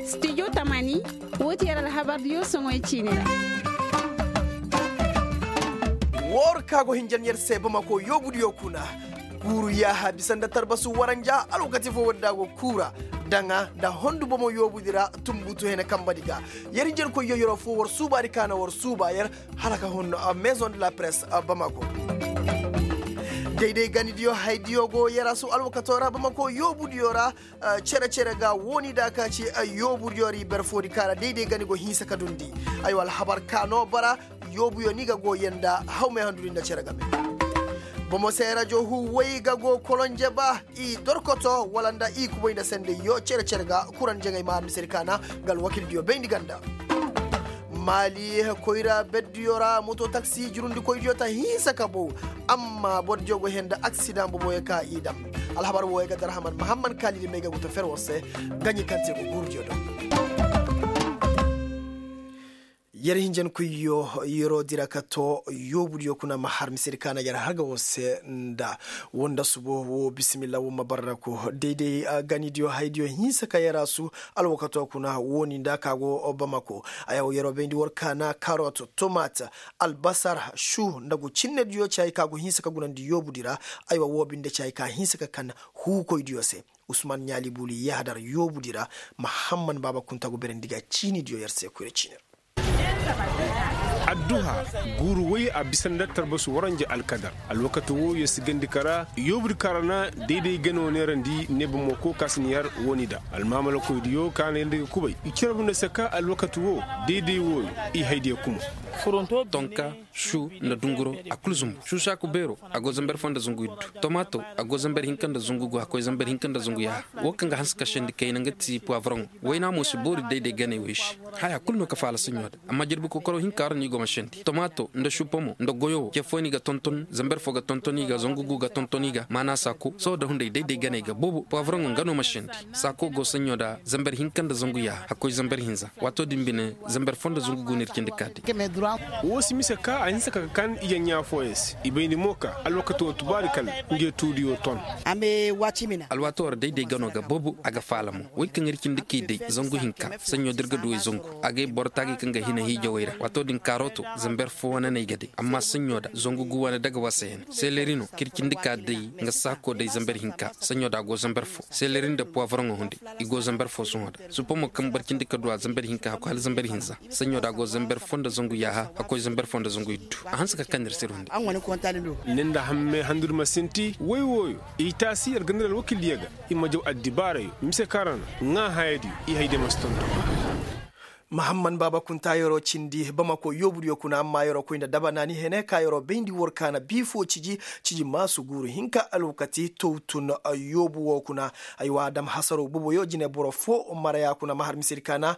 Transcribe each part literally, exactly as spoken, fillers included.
Studio tamani. Woo ti yer alhabardiyo soŋoy ciini ra. Woo ka go hinjan yer se bamako yoobudiyo kuna. Guuru yaaha bisa nda tarbasu waranja alwakati fo wadda go kuura. Daŋa nda hondu bomo yoobudi ra. Tumbutu hene kambadi ga yer hinjankoyyo yeroo fo war suubaadi ka na war suuba yer hala ka hun. Maison de la presse bamako. Dayday ganidiyo haydiyo go yarasu alwakato ra bamako yoobudiyo ra. Cere-cere ga wooni da ka ci yoobudiyo ra i ber foodi ka ra dayday gani go hinsa ka dundi. Aywa alhabar ka no bara. Yoobuyo ni ga go yanda hawmay handudi nda cere game. Bomo se rajo huway ga go kolonje ba i dorkoto wala nda i kubay nda sendayyo cere-cere ga kuran jaŋay ma almisir kaana. Nga alwakildiyo bayndi ganda. Maali koyra berdiyo ra moto taksi jurundikoydiyo ta hinsa ka bow. Amma bordiyo go henda aksidaŋ boboyo ka i dam. Alhabar wooyo ga darhaman mahamman kaalidi may ga guta fer war se. Gaɲi kaŋ te go guurudiyo do. Yer hinjankoyyo yeroo dira ka too yoobudiyo kuna ma har misedi kaana yer har ga war se. Nda woo nda subo woo bisimilla woo ma barraku dayday ganidiyo haydiyo hinsa ka yer a su. Alwakato kuna wooni nda ka go bamako. Aywa yeroo bayndi war kaana karot tomat albasar su nda go cinnediyo ci hay ka go hinsa ka gunandi yoobudi ra. Aywa woo binde ci hay ka hinsa ka kan huukoydiyo se. Usman ɲaali buuli yahadar yoobudi ra. Mahamman baaba kunta go berandi ga ciinidiyo yer se koyra ciini ra. Adduha guuru woy a bisa nda tarbasu waranja alkadar. Alwakati woo yer si gandi kara yoobudi kaŋ ra na dayday gano neerandi neebamo ko ka si ni har wooni da almaamalakoydiyo ka na yer nda ga kubay i cere bunda se ka alwakati woo dayday wooyo i haydiyo kuma. Tonka su nda dunguro a kul zumbu su saaku beero a go zamber fo nda zangu iddu. Tomaato a go zamber hinka nda zangu gu hakkoy zamber hinka nda zangu yaaha. Woo kaŋ ga hanse ka sendi kayna nga ti puwavroŋo. Wayna mo si boori dayday ganey wey se. Haya kul no ka faala saɲɲo da amma jirbi kokoro hinka ra no i go ma sendi tomaato nda supamo nda goyo wo ce fo ni ga tonton zamber fo ga tonton i ga zangu gu ga tonton i ga maana saako sohõ da hunday dayday ganey ga boobo puwavroŋo nga no ma sendi. Saako go saɲɲo da zamber hinka nda zangu yaaha hakkoy zamber hinza. Waato din bine zamber fo nda zangu gu no ir cindi ka day. Woo si mise ka a hinse ka ga kan ijaɲɲaa fooyaŋ se i bayndi mo ka alwakati woo tubaari kala. Ngey tuudiyo ton. Alwaati war dayday gano ga boobo a ga faala mo. Wey kaŋ ir cindi k'i day zangu hinka saɲɲo da ir ga du way zangu. Agay boro taagay kaŋ ga hina hiijawey ra waato din kaarooto zamber fo wane no ay ga day amma saɲɲo da zangu gu wane daga wasa hene seleri no k'ir cindi ka day. Nga saako day zamber hinka saɲɲo da a go zamber fo seleri nda puwavroŋo hunday. I go zamber fo sohõ da suppa mo kaŋ boro cindi ka du a zamber hinka hakku hala zamber hinza. Saɲɲo da a go zamber fo nda zangu yaaha hakkoy zamber fo nda zangu iddu. A hanse ka kaŋ ir sir hunday. Ni nda hamme handudi ma sinti woy wooyo i taasi yer ga nir alwakildiyo ga. I ma jaw addibaarayo mise kaŋ ra na ŋaa hayadiyo i hayadiyo ma si tonton. Mahamman baaba kunta yeroo cindi bamako yoobudiyo kuna amma yeroo koy nda daba naani hene ka yeroo bayndi war kaana bii fo ciji. Ciji maasu guuru hinka alwakati towtun yoobu woo kuna. Aywa dam hasaroo boboyo jine boro fo maraya kuna ma har misedi kaana.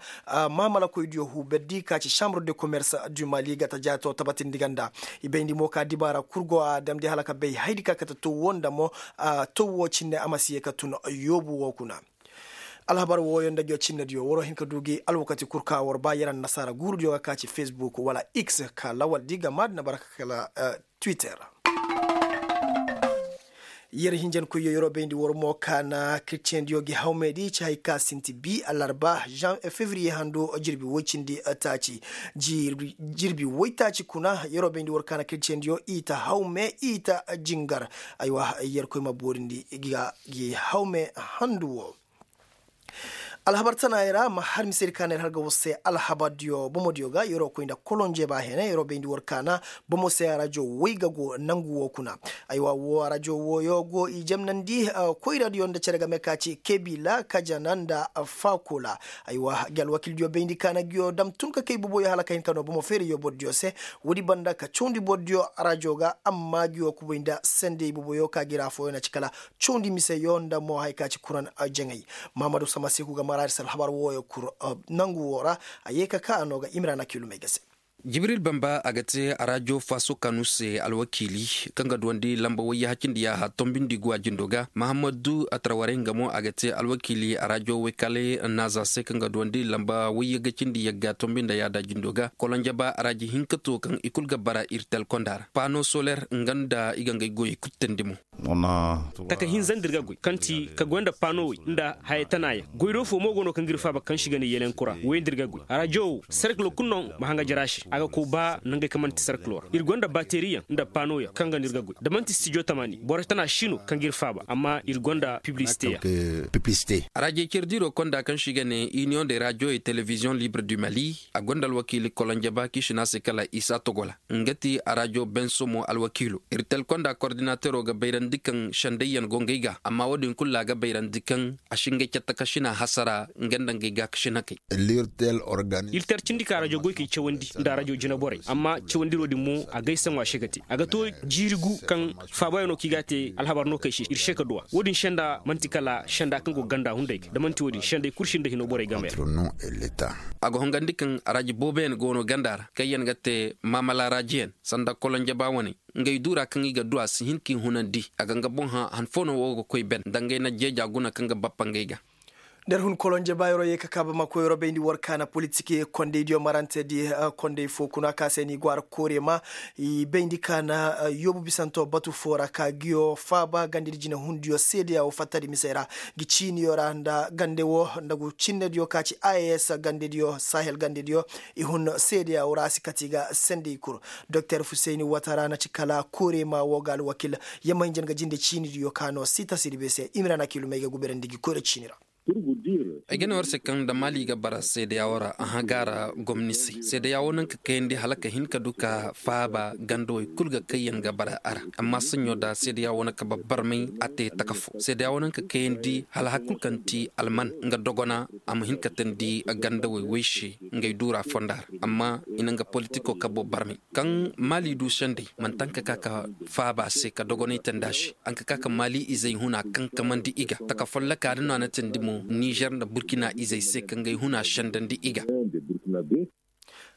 Maamalakoydiyo huu berdi ka ci sambre de komerse du mali ga ta jaato tabatindi ganda. I bayndi mo ka dibaara kul go a damndi hala ka bay haydi ka kate tow woo nda mo. Tow woo cinne a ma si yee ka tun yoobu woo kuna. Alhabar wooyo nda jo cinnediyo waroo hin ka du gi alwakati kul ka war ba yer annasaara guurudiyo ga ka ci fesbuk wala x ka lawaldi ga maadi na bara ka kala twitter. Yer hinjankoyyo yeroo bayndi war mo ka na kiristiyendiyo gi hawmey di ci hay ka sinti bi alarba fevriye hando jirbi woy cindi taaci. Jirbi woy taaci kuna yeroo bayndi war ka na kiristiyendiyo i ta hawme i ta jingar. Aywa yerkoy ma boorindi ga gi hawme handu wo. Alhabar tanaayey ra ma har misedi ka na yer har ga war se alhabardiyo bomodiyo ga yeroo koy nda kolonje ba hene yeroo bayndi war ka na bomo se arajo woy ga go nangu wo kuna. Aywa wo arajo wooyo go i jamnandi koyradiyo nda cere game ka ci kebila kajana nda fakola. Aywa gi alwakildiyo bayndi ka na giyo dam tun ka kay boboyo hala ka hin ka no bomo feeriyo bordiyo se. Woodi banda ka cawndi bordiyo arajo ga amma giyo kubay nda sendey boboyo ka gi ra fooyo na ci kala cawndi miseyo nda mo haya ka ci kuran jaŋay. Mahamadu samasiku ga maraari se alhabar wooyo kul nangu woo ra. A yee ka ka a no ga imrana kilumey ga se. Jibril bamba a ga te arajo faso kanu se alwakiili, kaŋ ga duwandi lamba wayye hacindi yaaha tombindi guwa jindo ga mahammadu atrawarey nga mo a ga te alwakiili arajo waykaley naaza se kaŋ ga duwandi lamba wayye ga cindi yagga tombinda yaada jindo ga kolonjaba araji hinka to kaŋ i kulu ga bara ir telkonda ra pano soler nga nda i ga ngey goyey kulu teendi mo. Taka hinza nda ir ga goy kaŋ ti ka goy nda pano wey nda haya tana yaŋ goy do fo mo go no kaŋ ga ir faaba kaŋ se i ga ne yelenkura woy nda ir ga goy arajo wo serkilo kulu no ma haŋ ga jara se a ga koy ba nangey kaŋ man'ti serkilo ra ir gonda bateriyaŋ nda pano yaŋ kaŋ ga no ir ga goy da man'ti stijo tamaani boro tana si no kaŋ ga ir faaba amma ir gonda piblisite yaŋ. Arajey cere diiro konda kaŋ se i ga ne iniyoŋ de rajo et telebiziyoŋ libre du mali a gonda alwakiili kolonjaba kaŋ i si ne a se kala isa togola nga ti arajo bensomo alwakiilo ir telkonda kordinatero ga bayrandi kaŋ sendayyaŋ go ngey ga amma wo- din kulu ra ga bayrandi kaŋ a si ngey catta ka sina hasara nga nda ngey gaakasinakey. Ir tar cindi ka arajo goykey cawandi nda arajo jinaborey amma cawandiro din mo a gaysaŋo a se ga te a ga to jiiri gu kaŋ faabayaŋo kaŋ i ga a te alhabar no kaŋ i se ir se ka duw'a wo- din senda man'ti kala senda kaŋ go ganda hunday ga da man'ti wo- din sendey kulu sinda hino borey game ra. A ga hongandi kaŋ araji booboyaŋ go no ganda ra kaŋyaŋ ga te maamala arajiyaŋ sanda kolonjaba wane ngey duura kaŋ i ga du a si hin k'i hunandi a ga nga boŋ hã han fo no wo ga koy ben nda ngey na jeeja guna kaŋ ga bappa ngey ga. Nda ir hun kolonje baayaroo ye ka kaa bamako yeroo bayndi war kaana politik kondey diyo marante di kondey foo kuna ka se ni gwaara koorema i bayndi kaana yoobu bisantoo batu foo ra ka ngiyo faaba gandedi jinehundiyo seedeya woo fattadi misey ra ngi ciiniyo ra nda gande woo nda ngu cinnediyo ka ci a s gandediyo sahel gandediyo i hun seedeya woo ra a si kati ga sendey kul doktor fuseyni watara na ci kala koorema woo ga alwakil yamma hinja nga jinde ciinidiyo ka no sita sirbe se imira na kiilumey ga guberandi ngi koyra ciini ra. Ay ga ne war se kaŋ da maali ga bara seedeya woo ra a hã gaara gomni se seedeya woo naŋ ka kayandi hala ka hin ka du ka faaba ganda wey kul ga kayyaŋ ga bara a ra amma saɲɲo da seedeya woo naŋ ka barbarmay a te taka foo seedeya woo naŋ ka kayandi hala hari kul kaŋ ti alman nga dogona a ma hin ka teendi ganda wey wey se ngey duura fonda ra amma i na nga politiko kabo barmay kaŋ maali du sendey manti haŋ ka ka ka faaba se ka dogonay teendi a se haŋ ka ka ka maali izey huna kaŋ kamandi i ga taka folloka da no a na teendi mo nizer nda burkina izey se ka ngey huna sendandi i ga.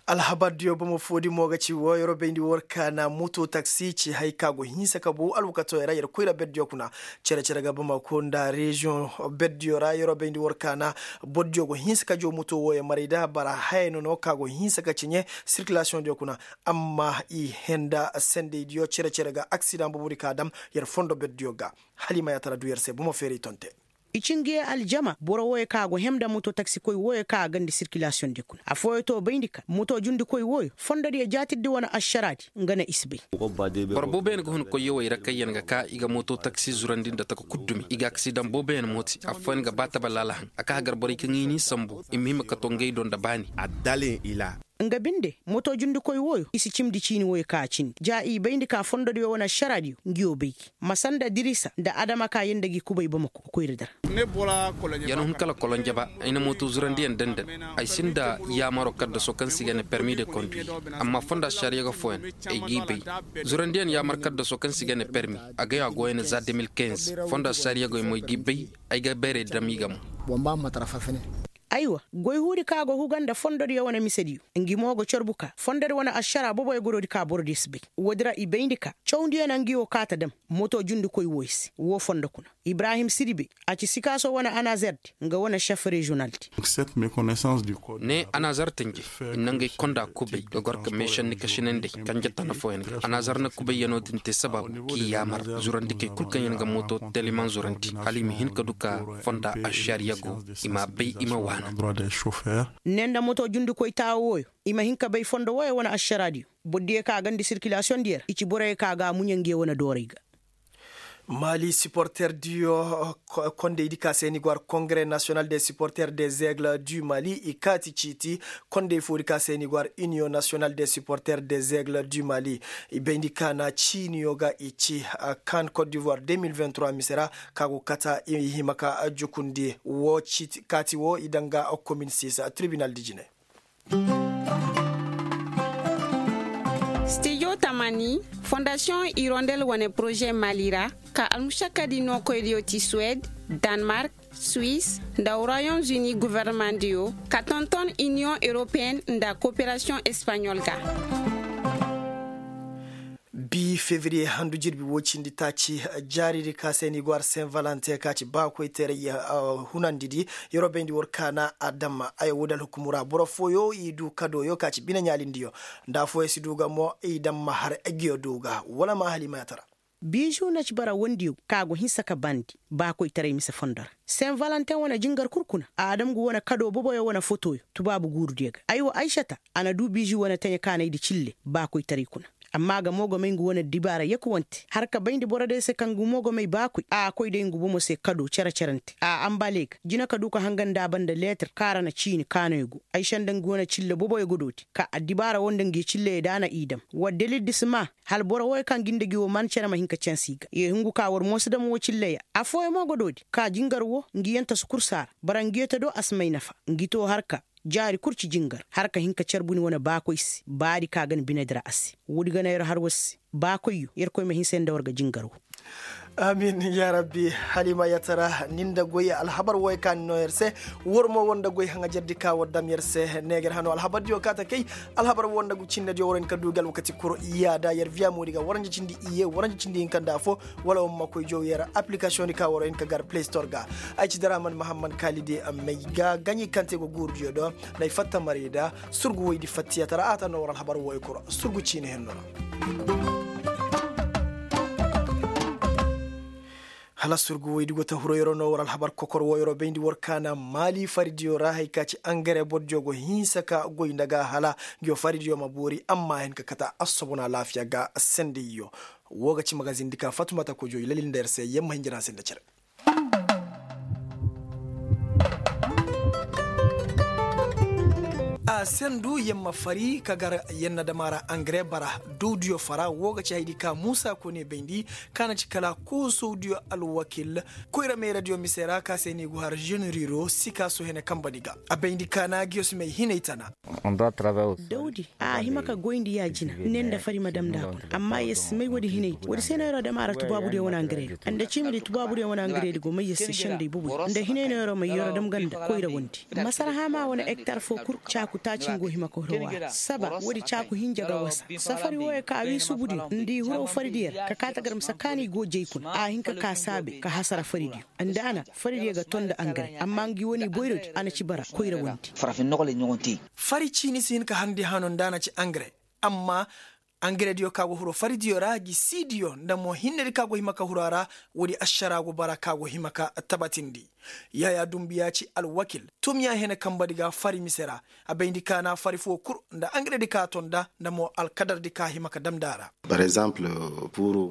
Alhabardiyo bomo foodi mo ga ci woo yeroo bayndi war kaana moto taksi ci hay ka go hinsa ka bow alwakatoo ra yer koyra berdiyo kuna cere-cere ga bamako nda reziyoŋ berdiyo ra yeroo bayndi war kaana bordiyo go hinsa ka joo moto wooyo maray da bara haya no no ka go hinsa ka ciɲe sirkilasiyoŋdiyo kuna amma i henda sendeydiyo cere-cere ga aksidaŋ boobodi ka dam yer fondo berdiyo ga hala i ma yaatara du yer se bomo feeray tonte. I ci ngi ye aljama boro wooyo kaŋ a go hem nda moto taksikoy wooyo kaŋ a gandi sirkilasiyoŋ di kuna affooyo to bayndi ka moto jundikoy wooyo fondodiyo jaatirdi wane ašaraadi nga ne i si bay. Boro booboyaŋ ga hun koyyo wey ra kaŋyaŋ ga ka i ga moto taksi zurandi nda taka kul dumi i ga aksidaŋ booboyaŋ mooti affooyaŋ ga ba taba laala haŋ a ka hagar borey kaŋ i n'i sambu i ma hima ka to ngey do nda baani. Nga binde moto jundikoy wooyo i si cimndi ciini wooyo ka a cindi ja i bayndi ka fondodiyo wane ašaraadiyo ngiyo bay gi ma sanda dirisa nda adama ka yee nda gi kubay bamako koyra dara. Yer hun kala kolonjaba ay na mooto zurandiyaŋ dandan ay sinda yaamaro kaddaso kaŋ se i ga ne permi de konduir amma fonda sariyago fooyaŋ ay g'i bay zurandiyaŋ yaamar kaddaso kaŋ se i ga ne permi a gay a goyane za de mil kinze fonda sariyagoy mo ay g'i bay ay ga bayray dam i ga mo. Aywa goy huudi ka go huga nda fondodiyo wane misediyo ngi mo go corbu ka fondodi wane ašara boboyo gorodi ka borodiyo si bay woodi ra i bayndi ka cawndiyo na ngi wo kaata dam moto jundikoy wooyo se woo fondo kuna ibrahim sidibe a ci sikaaso wane anazerdi nga wane šef reziyonaldi. Ne anazerdi ngi i na ngey konda kubay ga gor ka meešandi kašinandey kanje tana fooyaŋ ga anazer na kubayyanoo din te sabaabu k'i yaamar zurandikey kul kaŋ yaŋ ga moto telimaŋ zurandi hala i ma hin ka du ka fonda ašariyago i m'a bay i ma waana. Ne nda moto jundikoy taawo wooyo i ma hin ka bay fondo wooyo wane ašaraadiyo borodiyo kaŋ a gandi sirkilasiyoŋdiyo ra i ci boroyo kaŋ a ga a muɲe nge wane dooray ga. Mali siporterdiyo kondeydi ka se ni go har kongre nasiyonal de siporter de zegle du mali i kaati ciiti kondey foodi ka se ni go har iniyoŋ nasiyonal de siporter de zegle du mali i bayndi ka na ciiniyo ga i ci kan kot divoir deux mille vingt trois mise ra ka go kata i hima ka jukundi wo kaati wo i daŋ ga komin six tribinal di jine. Stijo tamani fondasiyoŋ irondel wane poroze mali ra ka almušakadi nookoydiyo ti suwed Danmark, Suisse nda Royaume Uni governemandiyo ka tonton Union Europeen nda kooperasiyoŋ Espaɲol ga. Bi febriye handu jirbi woo cindi taaci, jaaridi ka se ni go har saint valentin ka ci baakoytaray hunandidi. Yeroo bayndi war kaana a dam ay woodi alhukumu ra boro fooyo i du kadooyo ka ci bine ɲaalindiyo, nda afooyo si du ga mo i dam ma har egiyo du ga wala ma halimayata ra. Biizu na ci bara wondiyo ka go hinsa ka bandi baakoytaray mise fondo ra. Saint valentin wane jingar kul kuna a dam ngu wane kadoo boboyo wane fotoyo tubaabu guurudiyo ga aywa aysata a na duu biizu wane taɲa kaanaydi cille baakoytaray kuna. Amma a ga mo ga may ngu wane dibaara yakuwante har ka bayndi borodiyo se kaŋ ngu mo ga may baakoy a koy day ngu bomo se kadoo cere-cerante a ambale ga jina ka duu ka hanga nda a banda leetir kaŋ a ra na ciini kaanoyo go aysa nda ngu wane cille boboyo ga dooti ka addibaara woo nda ngi cilleyey da a na i dam war dalil di si maa. Hala boro wooyo kaŋ ga nda gi woo man cere ma hin ka canse i ga i hungu ka war mo si dam woo cilleya. Affooyaŋ mo ga doodi ka jingar woo ngi yanta si kul saara bara ngi yanta do a si may nafa. Ngi too har ka jaari kul ci jingar har ka hin ka care buni wane baakoy se baadi ka ga na binedi ra a se. Woodi ga na yer har war se baakoyyo yerkoy ma hinsa yer nda war ga jingar woo. Amin yaa rabbi. Halimayata ra ni nda goy alhabar wooyo ka ni noo yer se. War mo war nda goy haŋajerdi ka war dam yer se neeger hano alhabardiyo kaate kay. Alhabar woo nda ngu cinnediyo war hin ka duu gi alwakati kul yaada yer viya moodi ga waranja cindi iyye waranja cindi hinka nda affoo. Wala war ma koy jow yer appilikasiyoŋdi ka war hin ka gar play store ga. Ay ci daraman mahammad kaalidi may ga gaɲi kaŋ te go guurudiyo do. N'ay fatta marayda surgu woydi fattiyata ra a ta noo war alhabar wooyo kul surgu ciini henno ra. Hala surgu woydi go ta huro yeroo no war alhabar kokor woo yeroo bayndi war kaana maali faridiyo ra hari ka ci angare bordiyo go hinsa ka goy nda ga hala ngi yoo faridiyo ma boori amma a hin ka kate assobon alaafiya ga sendayyo. Woo ga ci magazindi ka fatumata kojo i lalil nda yer se yer ma hin jira se nda cere. A sendu yer ma fari ka gar yer na dam a ra angare bara. Dowdiyo fara woo ga ci haydi ka muusa kone bayndi ka na ci kala koosowdiyo alwakil koyra meeradiyo mise ra ka se ni go har ženeriro sikaaso hene kambadi ga. A bayndi ka na ngiyo si may hinay tana. Dawdi a hima ka goyndi ya-jina ne nda fari ma dam nda a kuna amma yer si may woodi hinay. Woodi se no yer dam a ra tubaabudiyo wane angaredi nda ciimidi tubaabudiyo wane angaredi go may yer se sendey boboy nda hinay no yer may yer dam ga nda koyra wondi. Masarhaama wane ektar foo kul caaku taaci ngu hima ka huro waara saba woodi caaku hinja ga wasa. Safari wooyo ka wii subudiyo nda i huro faridiyo ra ka kaa tagar mise kaani go jay kuna a hin ka kaa saabe ka hasara faridiyo. Nda a na faridiyo ga ton nda angare amma ngi wane boyrodi a na ci bara koyra wondi. Fari ciini si hin ka harndi hano nda a na ci angare. Amma angarediyo ka go huro faridiyo ra gi siidiyo nda mo hinnedi ka go hima ka huru a ra. Woodi ašara go bara ka go hima ka tabatindi. Yaayaa dumbuya ci alwakil tumiya hene kambadi ga fari mise ra. A bayndi ka na fari foo kul nda angaredi ka ton nda nda mo alkadardi ka hima ka dam nda a ra.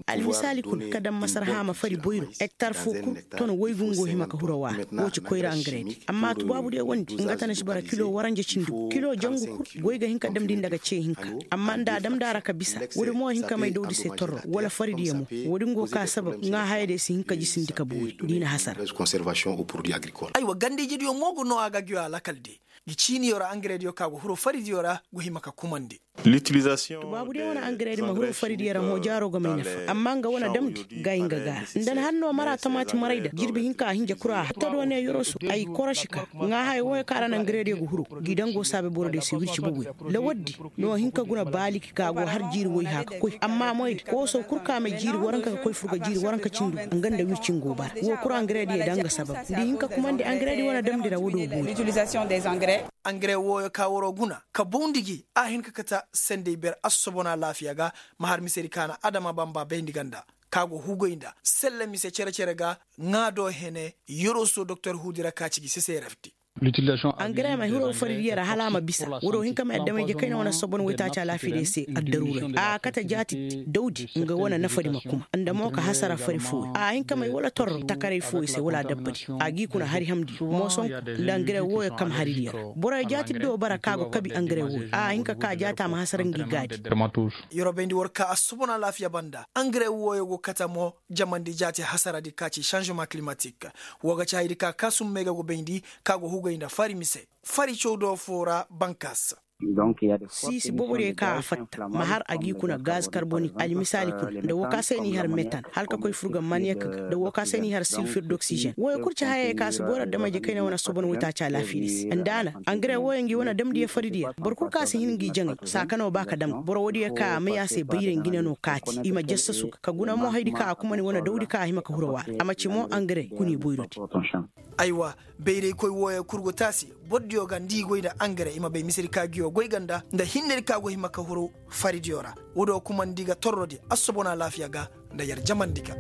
Almisaali kuna ka dam masarhaama fari boyro ektar foo kul ton woy gungo hima ka huru a waara. Woo ci koyra angaredi amma tubaabudiyo wondi nga ta na si bara kilo waranja cindi gu kilo jangu kul goy ga hin ka damndi nda ga cee hinka. Amma nda a damndi a ra ka bisa woodi mo hin ka may dawdi se torro wala faridiyo mo. Woodi ngu ka sabab ŋaahayadiyo si hin ka jisindi ka boori nda i na hasara. Aywa ganda-ijeediyo mo go noo a ga ngiyo alakal de. Ngi ciiniyo ra angarediyo ka go huru faridiyo ra go hima ka kumandi. Tubaabudiyo wane angaredi ma huru faridiyo ra mo jaaro ga may nafa amma nga wane damndi ga ay nga gaara nda ni har no mara tamaati maray da jirbi hinka a hinja kura a hatta do ne yoroso ay korosi ka ŋaahay wooyo kaŋ a ra na angarediyo ga huru. Ngi dango saabe borodiyo se wirci boboyo. Lawaddi no hinka guna baaliki ka go har jiiri woy hã ka koy amma moydi kooso kul ka may jiiri waranka ka koy fur ga jiiri waranka cindi nga nda wirci ngo bara woo kul angarediyo da nga sabab nda i hin ka kumandi angaredi wane damndi ra woodoo boori. Angare wooyo ka waroo guna ka bawndi gi a hin ka kate sendey ber assobon alaafiya ga. Ma har misedi ka na adama bamba bayndi ganda ka go hugay nda selle mise cere-cere ga ŋaado hene. Yoroso doktor huudi ra ka ci gi seserefdi. Angare ma hiro faridiyo ra hala a ma bisa woodoo hin ka may adamay jekayna wane assobon waytaaci alaafiyadiyo se addaruuray a kate jaati dawdi nga wane nafadi ma kuma nda mo ka hasara fari fooyo a hin ka may wala torro takaray fooyo se wala adabbadi. A g'i kuna hari hamndi moosonku nda angare wooyo kam haridiyo ra boroyo jaati do bara ka go kabi angare wooyo a hin ka ka jaati a ma hasara ngi gaadi. Yeroo bayndi war ka assobon alaafiya banda angare wooyo go kate mo jamandi jaati hasaradi ka ci sanzema kilimatik. Woo ga ci hayadi ka kaasum may ga go bayndi ka go hugay nda fari mise fari cawdoo foo ra bankaas. Siisi boobo diyo ka a fatta ma har a g'i kuna gaz karbonik almisaali kuna nda woo ka se n'i har metan hala ka koy furga maniyek ga nda woo ka se n'i har silfir doksijen wooyo kul ci hayey ka si boro adamey je kayna wane assobon waytaaci alaafiya di se nda a na angare wooyo ngi wane damdiyo fari diyo boro kul ka si hin ngi jaŋay saakano ba ka dam boro woodiyo ka a may a se bayray ngi ne no kaati i ma jassasu ga ka guna mo haydi ka a kumani wane dawdi ka a hima ka huru waara a ma ci mo angare kuna i boyrodi. Aywa, bayraykoy wooyo kul go te a se. Bordiyo ga nda i goy nda angare i ma bay misedi ka nguyo goy ga nda nda hinnedi ka go hima ka huru faridiyo ra. Woodiyo kumandi ga torrodi assobon alaafiya ga nda yer jamandi ga.